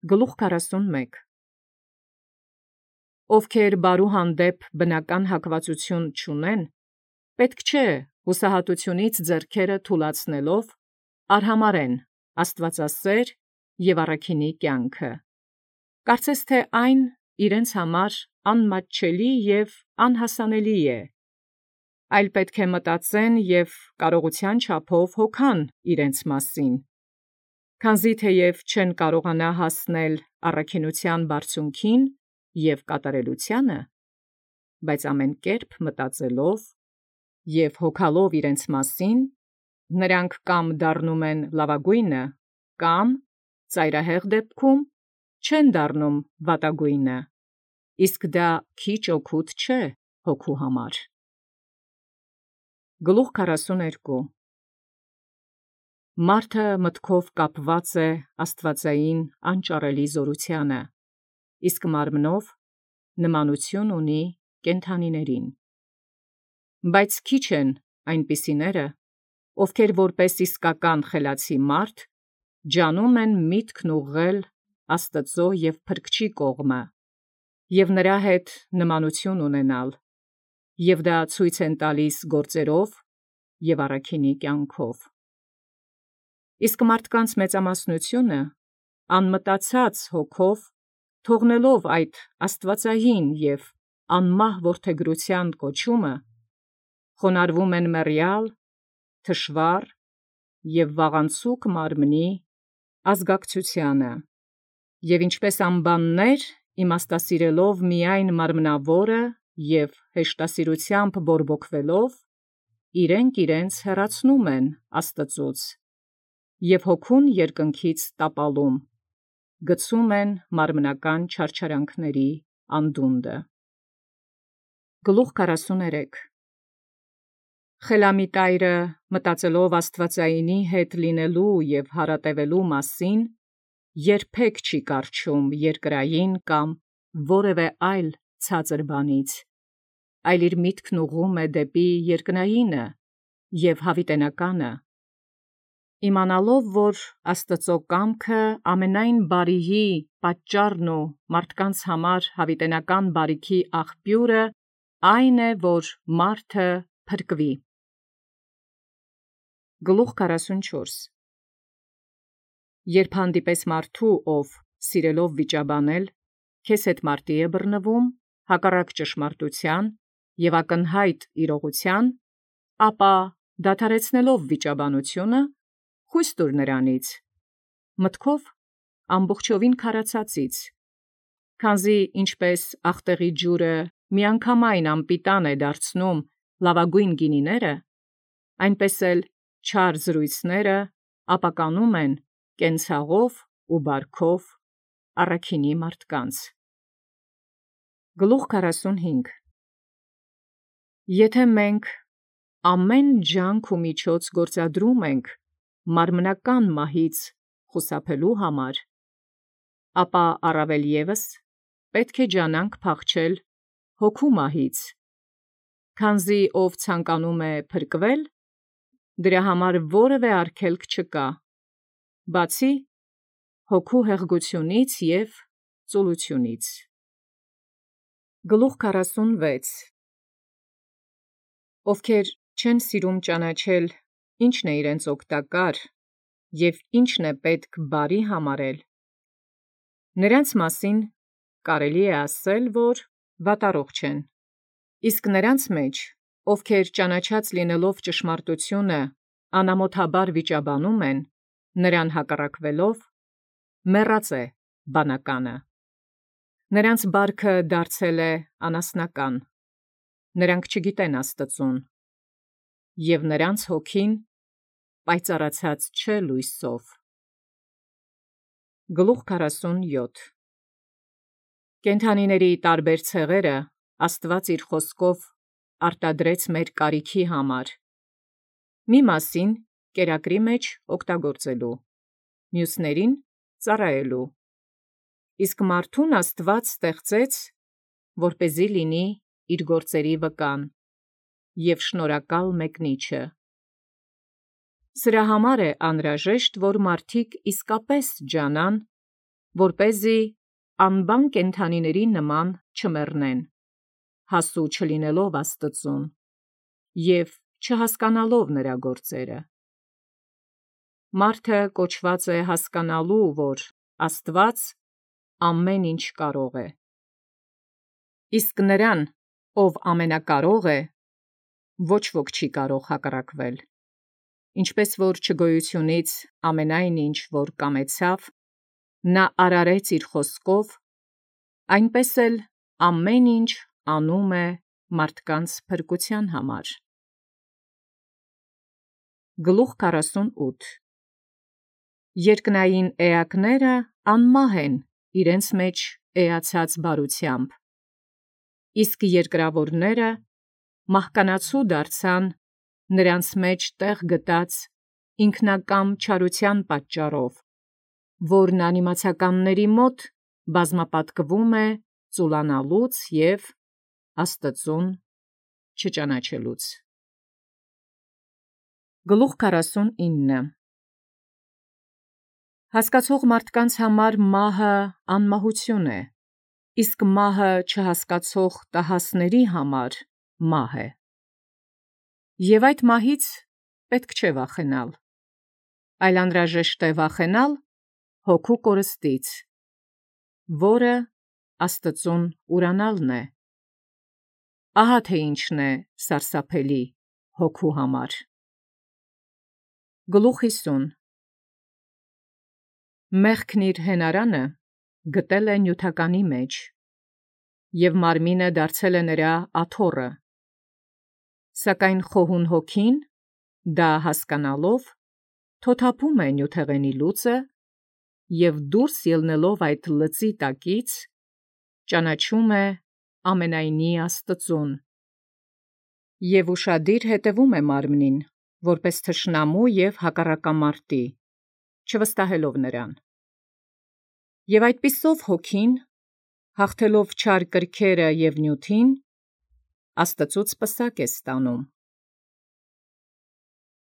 Գլուխ 41 Ովքեր բարու հանդեպ բնական հակվածություն չունեն, պետք չէ հուսահատությունից ձեռքերը թուլացնելով արհամարեն աստվածասեր և առաքինի կյանքը։ Կարծես թե այն իրենց համար անմատչելի և անհասանելի է, այլ պետք է մտածեն և կարողության չափով հոգան իրենց մասին, քանզի թեև չեն կարողանա հասնել առաքինության բարձունքին և կատարելությանը, բայց ամեն կերպ մտածելով և հոգալով իրենց մասին, նրանք կամ դառնում են լավագույնը, կամ ծայրահեղ դեպքում չեն դառնում վատագույնը, իսկ դա քիչ օգուտ չէ հոգու համար։ Գլուխ 42 Մարդը մտքով կապված է աստվածային անճարելի զորությանը, իսկ մարմնով նմանություն ունի կենդանիներին։ Բայց քիչ են այնպիսիները, ովքեր որպես իսկական խելացի մարդ ջանում են միտքն ուղղել Աստծո և Փրկչի կողմը և նրա հետ նմանություն ունենալ, և դա ցույց են տալիս գործերով և առաքինի կյանքով։ Իսկ մարդկանց մեծամասնությունը անմտածած հոգով, թողնելով այդ աստվածային և անմահ որդեգրության կոչումը, խոնարհվում են մեռյալ, թշվառ և վաղանցուկ մարմնի ազգակցությանը, և ինչպես անբաններ իմաստասիրելով միայն մարմնավորը և հեշտասիրությամբ բորբոքվելով, իրենք իրենց հեռացնում են Աստծուց և հոգուն երկնքից տապալում, գցում են մարմնական չարչարանքների անդունդը։ Գլուխ 43 Խելամիտայրը մտածելով աստվածայինի հետ լինելու և հարատևելու մասին, երբեք չի կառչում երկրային կամ որևէ այլ ցածր բանից, այլ իր միտքն ուղղում է դեպի երկնայինը և հավիտենականը, իմանալով, որ Աստծո կամքը ամենայն բարիի պատճառն ու մարդկանց համար հավիտենական բարիքի աղբյուրը այն է, որ մարդը փրկվի։ Գլուխ 44 Երբ հանդիպես մարդու, ով սիրելով վիճաբանել, քեզ հետ մարտի է բռնվում, հակառակ ճշմարտության և ակնհայտ իրողության, ապա դադարեցնելով վիճաբանությունը, խույս տուր նրանից, մտքով ամբողջովին քարացածից, քանզի ինչպես աղտեղի ջուրը միանգամայն անպիտան է դարձնում լավագույն գինիները, այնպես էլ չար զրույցները ապականում են կենցաղով ու բարքով առաքինի մարդկանց։ Գլուխ 45 Եթե մենք ամեն ջանք ու միջոց գործադրում ենք մարմնական մահից խուսափելու համար, ապա առավել ևս պետք է ջանանք փախչել հոգու մահից, քանզի ով ցանկանում է փրկվել, դրա համար որևէ արգելք չկա, բացի հոգու հեղգությունից և ծուլությունից։ Գլուխ 46 Ովքեր չեն սիրում ճանաչել ինչն է իրենց օգտակար և ինչն է պետք բարի համարել, նրանց մասին կարելի է ասել, որ վատառողջ են, իսկ նրանց մեջ, ովքեր ճանաչած լինելով ճշմարտությունը անամոթաբար վիճաբանում են, նրան հակառակվելով, մեռած է բանականը, նրանց բարքը դարձել է անասնական, նրանք չգիտեն Աստծուն, և նրանց հոգին պայծառացած չէ լույսով։ Գլուխ 47 Կենդանիների տարբեր ցեղերը Աստված իր խոսքով արտադրեց մեր կարիքի համար, մի մասին կերակրի մեջ օգտագործելու, մյուսներին ծառայելու, իսկ մարդուն Աստված ստեղծեց, որպեսզի լինի իր գործերի վկան և շնորհակալ մեկնիչը։ Սրա համար է անհրաժեշտ, որ մարդիկ իսկապես ջանան, որպեսզի անբան կենդանիների նման չմեռնեն, հասու չլինելով Աստծուն և չհասկանալով նրա գործերը։ Մարդը կոչված է հասկանալու, որ Աստված ամեն ինչ կարող է։ Իսկ նրան, ով ամենակարող է, ոչ ոք չի կարող հակառակվել։ Ինչպես որ չգոյությունից ամենայն ինչ, որ կամեցավ, նա արարեց իր խոսքով, այնպես էլ ամեն ինչ անում է մարդկանց փրկության համար։ Գլուխ 48 Երկնային էակները անմահ են իրենց մեջ էացած բարությամբ, իսկ երկրավորները մահկանացու դարձան նրանց մեջ տեղ գտած ինքնակամ չարության պատճառով, որն անիմացականների մոտ բազմապատկվում է ծուլանալուց և Աստծուն չճանաչելուց։ Գլուխ 49 Հասկացող մարդկանց համար մահը անմահություն է, իսկ մահը չհասկացող տհասների համար մահ է։ Եվ այդ մահից պետք չէ վախենալ, այլ անհրաժեշտ է վախենալ հոգու կորստից, որը Աստծուն ուրանալն է։ Ահա թե ինչն է սարսափելի հոգու համար։ Գլուխ 50 Մեղքն իր հենարանը գտել է նյութականի մեջ, և մարմինը դարձել է նրա աթոռը, սակայն խոհուն հոգին, դա հասկանալով, թոթափում է նյութեղենի լուծը և դուրս ելնելով այդ լծի տակից, ճանաչում է ամենայնի Աստծուն և ուշադիր հետևում է մարմնին, որպես թշնամու և հակառակամարտի, չվստահելով նրան։ Եվ այդպիսով հոգին, հաղթելով չար կրքերը և նյութին, Աստծուց պսակ է ստանում։